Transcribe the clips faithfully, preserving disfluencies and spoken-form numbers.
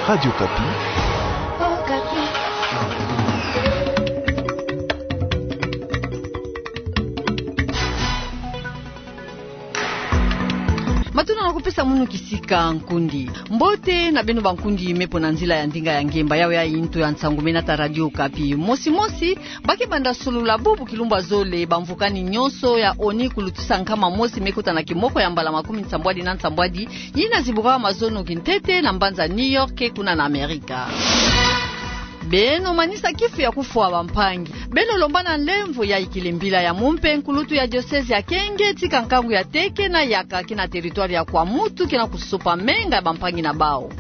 Radio Okapi. Matuna na kupesa munu kisika nkundi. Mbote na beno bankundi me mpo na nzila ya ndinga ya ngemba. Yawe ya ntu ya nsangu me nata Radio Okapi. Mosi mosi, ba ke banda solula bubu kilumbu ya zole, bamvukani nyonso ya ONU kulutisa nkama mosi me kota na kimoko ya mbala makumi nsambwadi na nsambwadi, yina zibukaka mazono kintete na mbanza New York, kuna na Amerika. Beno manisa kifu ya kufwa bampangi. Beno lomba na nlemvo ya ikele mbila ya mumpe nkulutu ya diocèse ya Kenge, tika nkangu ya teke na yaka kina territoire ya Kwamouth, kina kusopa menga ya bampangi na bawu.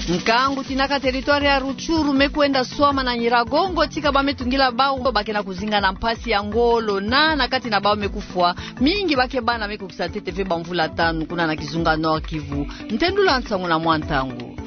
Nkangu tinaka territoire ya Rutshuru me kwenda swama na Nyiragongo, tika ba me tungila bawu ba ke na kuzinga na mpasi ya ngolo, na na kati na bawu me kufwa mingi ba ke bana me kukisa ntete ve bamvula tanu, kuna na kizunga Nord-Kivu. Ntendula nsangu na mwa ntangu.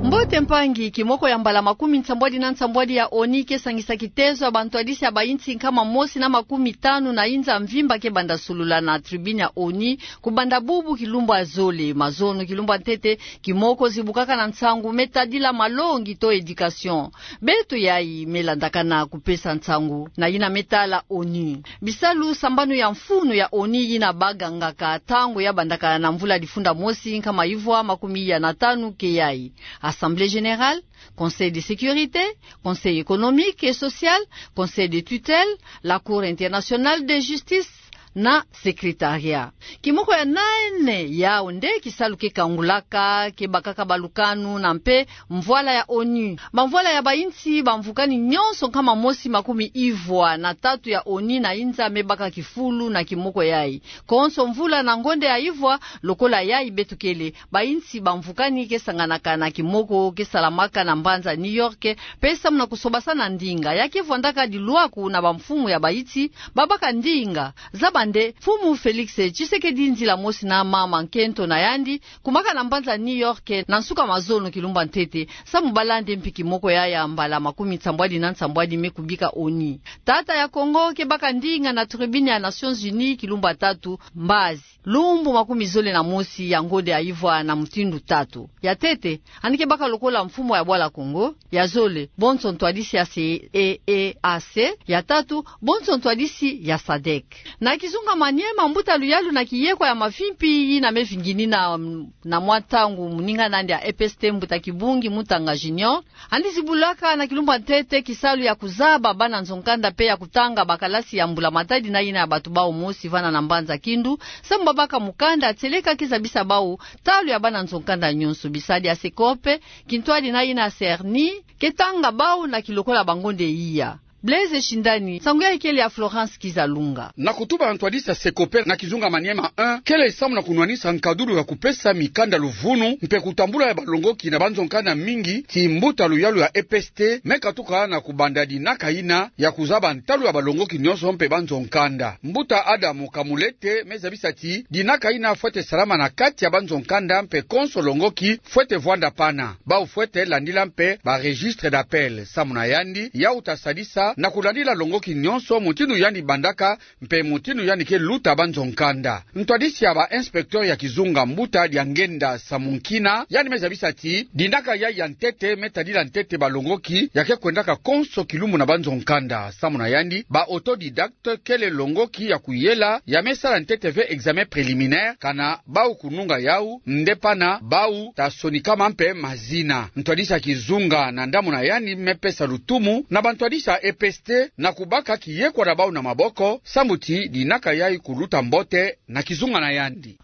Mbote mpangi, kimoko ya mbala makumi nsambwadi na nsambwadi ya ONU ke sangisa kitezo ya bantwadisi ya bayinsi nkama mosi na makumi tanu na yinza mvimba ke banda solula na tribune ya ONU, kubanda bubu kilumbu ya zole. Mazono kilumbu ya ntete, kimoko zibukaka na nsangu me tadila malongi to éducation. Beto yayi me landakana kupesa nsangu na yina me tala ONU. Bisalu sambanu ya mfunu ya ONU yina bagangaka ntangu ya bandaka na mvula difunda mosi nkama ivwa makumi iya na tanu ke yayi: Assemblée générale, Conseil de sécurité, Conseil économique et social, Conseil de tutelle, la Cour internationale de justice, na secrétariat. Kimoko ya nene, yawu nde kisalu ke kangulaka, ke bakaka balukanu na mpe mvwala ya ONU. Bamvwala ya bayinsi bamvukani nyonso nkama mosi makumi ivwa na tatu ya ONU na yinza me baka kifulu na kimoko yayi. Konso mvula na ngonde ya ivwa, lokola yayi beto kele, bayinsi bamvukani ke sanganaka na kimoko ke salamaka na mbanza New York, mpe samu na kusobasana ndinga ya ke vwandaka dilwaku na bamfumu ya bayinsi ba baka ndinga. Zaba nde, Mfumu Félix Tshisekedi nzila mosi na mama nkento na yandi, kumaka na mbanza New York na nsuka mazono kilumbu ya ntete, samu ba lande mpi kimoko ya ya mbala makumi nsambwadi na nsambwadi me kubika ONU. Tata ya Congo ke baka ndinga na tribune ya Nations Unies kilumbu ya tatu, mbazi, lumbu makumi zole na mosi ya ngonde ya ivwa na mutindu tatu. Ya ntete, yandi ke baka lokola mfumu ya bwala Congo. Ya zole, bonso ntwadisi ya CEEAC. Ya tatu, bonso ntwadisi ya sadec. Na kizunga Maniema, mbuta luyalu na kiyekwa ya mavimpi yina me vinginina na mwa ntangu, moninga nandi ya EPST, mbuta Kibungi Mutanga Junior, yandi zibulaka na kilumbu ya ntete kisalu ya kuzaba bana nzo-nkanda mpe ya kutanga bakalasi ya mbula-matadi na yina ya bato bawu mosi vana na mbanza Kindu, samu ba baka mukanda tieleka ke zabisa bawu ntalu ya bana nzo-nkanda nyonso. Bisadi ya SECOP, kintwadi na yina ya CERNI, ke tanga bawu na kilokola bangonde iya. Blaise Shindani, nsangu yayi kele ya Florence Kizalunga. Na kutuba na ntwadisi ya SECOP na kizunga Maniema un, kele samu na kunwanisa nkadulu ya kupesa mikanda luvunu mpe kutambula ya balongoki na banzo-nkanda mingi, ti mbuta luyalu ya EPST me katuka na kubanda dinaka yina ya kuzaba ntalu ya balongoki nyonso mpe banzo-nkanda. Mbuta Adam Kamulete me zabisa ti dinaka yina fwete salama na kati ya banzo-nkanda mpe konso longoki fwete vwanda pana. Bawu fwete landila mpe ba registre d'appel. Samu na yandi, yawu ta sadisa na kulandila longoki nyonso mutindu yandi bandaka mpe mutindu yandi ke luta banzo-nkanda. Ntwadisi ya ba inspecteur ya kizunga, mbuta Diangenda Samunkina, yandi me zabisa ti dinaka yayi ya ntete me tadila ntete balongoki ya ke kwendaka konso kilumbu na banzo-nkanda. Samu na yandi, ba autodidacte kele longoki ya kuyela ya me sala ntete ve examen préliminaire, kana bawu kununga yawu, nde pana bawu ta sonikama mpe mazina. Ntwadisi ya kizunga na ndambu na yandi me pesa lutumu na bantwadisi ya EPST na kubaka kiyekwa na bawu na maboko, samu ti dinaka yayi kuluta mbote na kizunga na yandi.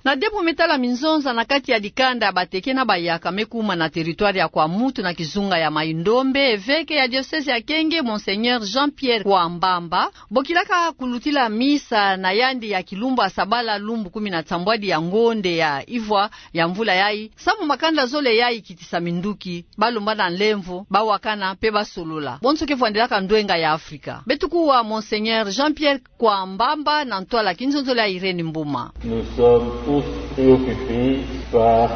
Na debo me tala minzonza na kati ya dikanda ya bateke na bayaka me kuma na territoire ya Kwamouth na kizunga ya Maï-Ndombe, evêque ya diocèse ya Kenge, Monseigneur Jean-Pierre Kwambamba, bokilaka kulutila misa na yandi ya kilumbu ya sabala, lumbu kumi na nsambwadi ya ngonde ya ivwa ya mvula yayi, samu makanda zole yayi kitisa minduki, ba lomba na nlemvo, ba wakana, mpe ba solola. Bonso ke vwandelaka ndwenga ya Afrika. Beto kuwa Monseigneur Jean-Pierre Kwambamba na ntwala kinzonzolo ya Irène Mboma. Nous sommes tous préoccupés par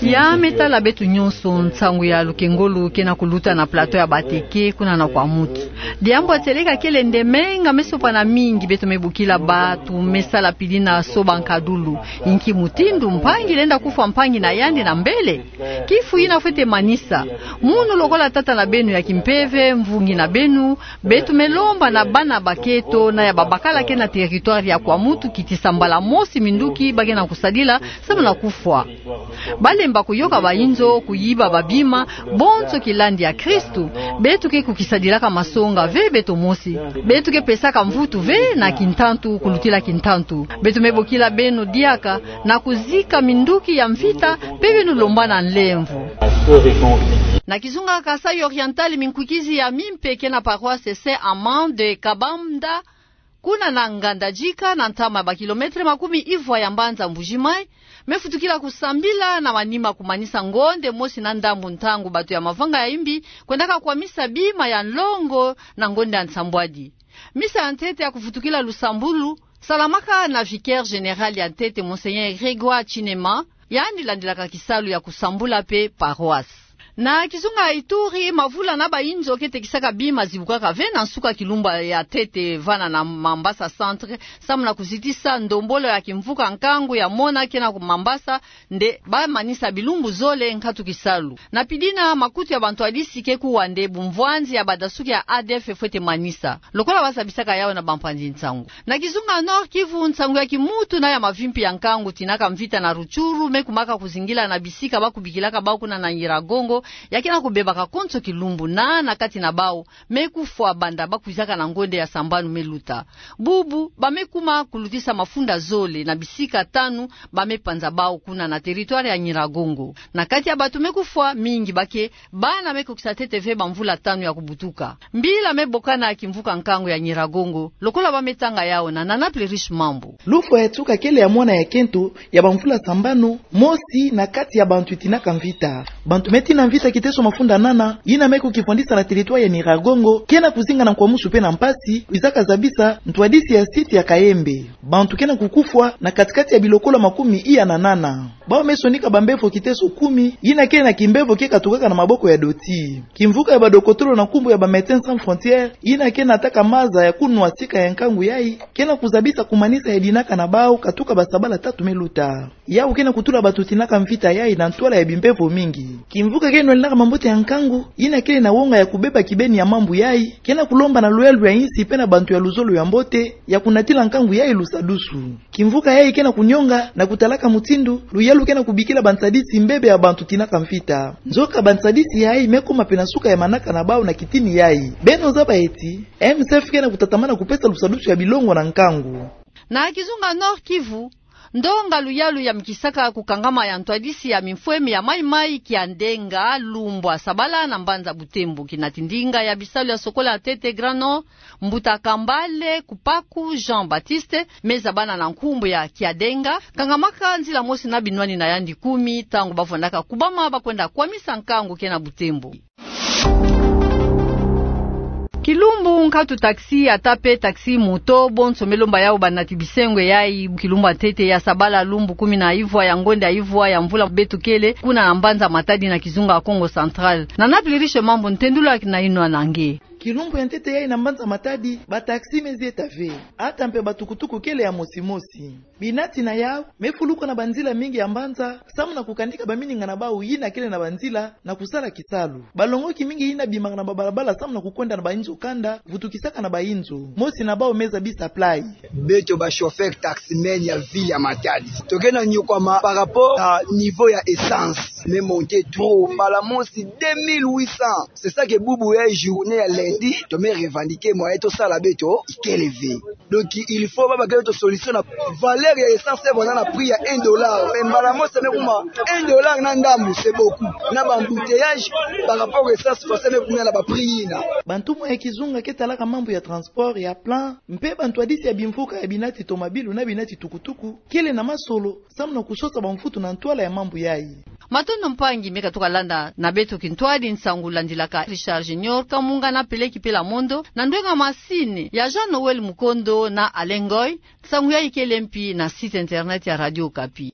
Ya me tala beto nyonso, nsangu ya lukengolo ke na kuluta na plateau ya Bateke, kuna na Kwamouth. Diambu ya tieleka kele nde menga me sopana mingi beto me bokila bato me sala pili na soba nkadulu. Inki mutindu mpangi lenda kufwa mpangi na yandi na mbele? Kifu yina fwete manisa. Munu lokola tata na beno ya kimpeve, mvungi na beno, beto me lomba na bana bakento na ya babakala ke na territoire ya Kwamouth kitisa mbala mosi minduki ba ke na kusadila, samu na kufwa. Ba lemba kuyoka bainzo, kuyiba babima, bonso kilandi ya Kristu. Beto ke kukisadilaka masonga ve beto mosi. Beto ke pesaka mvutu ve na kintantu kulutila kintantu. Beto me bokila beno diaka na kuzika minduki ya mvita, mpe beno lomba na nlemvo. Na kizunga Kasaï Oriental, minkwikizi ya mimpe ke na paroisse Saint Amand de Kabanda, kuna na Ngandajika, na ntama ya ba kilomètre makumi ivwa ya mbanza Mbuji-Mayi, me futukila kusambila na manima kumanisa ngonde mosi na ndambu, ntangu bato ya mavanga ya imbi kwendaka kwamisa bima ya nlongo na ngonde ya nsambwadi. Misa ya ntete ya kufutukila lusambulu salamaka na vicaire général ya ntete, Monseigneur Grégoire Chinema, yandi landilaka kisalu ya kusambula mpe paroisse. Na kizunga Ituri, mavula na bainzo ke tekisaka bima zibukaka ve na nsuka kilumbu ya ntete vana na Mambasa Centre, samu na kuzitisa ndombolo ya kimvuka nkangu ya mona ke na ku Mambasa, nde ba manisa bilumbu zole nkatu kisalu. Na pili yina, makutu ya bantwadisi ke kuwa nde bumvwanzi ya badasuki ya A D F fwete manisa, lokola ba zabisaka yawu na bampanzi nsangu. Na kizunga Nord-Kivu, nsangu ya kimutu na ya mavimpi ya nkangu tinaka mvita na Rutshuru me kumaka kuzingila na bisika ba kubikilaka bawu kuna na Nyiragongo, ya ke na kubebaka konso kilumbu na, na kati na bawu me kufwa banda ba kwizaka na ngonde ya sambanu me luta. Bubu, ba me kuma kulutisa mafunda zole na bisika tanu, ba me panza bawu kuna na territoire ya Nyiragongo. Na kati ya bato me kufwa, mingi ba ke bana me kukisa ntete ve bamvula tanu ya kubutuka. Mbila me bokana ya kimvuka nkangu ya Nyiragongo, lokola ba me tanga yawu na Nana Plerish Mambu. Lufwa ya nsuka kele ya mwana ya kento ya bamvula sambanu, mosi na kati ya bantu tinaka mvita. Bantu me tina mvita kiteso mafunda nana, yina me kukifwandisa na territoire ya Nyiragongo, ke na kuzinga na nkwamusu mpe na mpasi, kwizaka zabisa ntwadisi ya site ya Kayembe. Bantu ke na kukufwa na kati-kati ya bilokolo makumi iya na nana. Bawu me sonika bambevo kiteso kumi, yina ke na kimbevo ke katukaka na maboko ya doti. Kimvuka ya badokotolo na nkumbu ya ba Médecins Sans Frontières, yina ke nataka maza ya kunwa sika ya nkangu yayi, ke na kuzabisa kumanisa ya dinaka na bawu katuka basabala tatu me luta. Yawu ke na kutula bato tinaka mvita yayi na ntwala ya bimbevo mingi. Kimvuka ke nwaninaka mambote ya nkangu, yina kele na wonga ya kubeba kibeni ya mambu yayi, ke na kulomba na luyalu ya insi mpe na bantu ya luzolo ya mbote ya kunatila nkangu yayi lusadusu. Kimvuka yayi ke na kunyonga na kutalaka mutindu luyalu ke na kubikila bantsadisi mbebe ya bantu tinaka mvita. Nzoka bantsadisi yayi me kuma mpe na suka ya manaka na bawu na kitini yayi. Beno zaba eti, M S F ke na kutatamana kupesa lusadusu ya bilongo na nkangu. Na kizunga Nord-Kivu, ndonga luyalu ya mikisaka kukangama ya ntwadisi ya mimfweme ya mayi-mayi Kiadenga, Lumbwa, Sabala na mbanza Butembo, kinati ndinga ya bisalu ya sokola ya ntete Grand Nord, mbuta Kambale Kupaku Jean-Baptiste, me zabana na nkumbu ya Kiadenga, kangamaka nzila mosi na binwani na yandi kumi, ntangu ba vwandaka kubama ba kwenda kwamisa nkangu ke na Butembo. Kilumbu, nkatu taxi, ata mpe taxi moto, bonso me lomba yawu banati bisengwe yayi, kilumbu ya ntete ya Sabala, lumbu kumi na ivwa ya ngonda ya ivwa ya mvula beto kele, kuna na mbanza Matadi na kizunga Kongo Central. Nana Plerish Mambu, ntendula kina inwa na nge. Kilumbu ya ntete yayi na mbanza Matadi, ba taxi me zieta ve. Ata mpe ba tukutuku kele ya mosi-mosi. Binati na yawu me fuluka na banzila mingi ya mbanza, samu na kukanika bamininga na bawu yina kele na banzila na kusala kisalu. Balongoki mingi yina bimaka na babalabala samu na kukwenda na bainzo kanda, vutukisaka na bainzo. Mosi na bawu me zabisa Play. Beto ba chauffeur taximan ya ville ya Matadi, toke na nyokwama par rapport à niveau ya essence, me monter trop, mbala mosi deux mille huit cents. C'est ça que bubu ya journée ya lundi, to me revendiquer moyen tosala beto ikele ve. Donc, il faut ba baka beto solution na valeur ya essence, e vwanda na prix ya un dollar. Mais mbala mosi me kuma un dollar na ndambu, c'est beaucoup. Na ba embouteillage par rapport à essence, forcément me kuma na ba prix yina. Bantumwa ya kizunga ke talaka mambu ya transport ya plan, mpe bantwadisi ya bimvuka ya binati tomabilu na binati tukutuku, kele na masolo, samu na kusosa bamfutu na ntwala ya mambu yayi. Matondo mpangi me katuka landa na beto kintwadi nsangu landilaka Richard Junior Kamunga na Peleki Pela Mondo, na ndwenga masini ya Jean Noël Mukondo na Alain Ngoy. Nsangu yayi kele mpi na site internet ya Radio Okapi.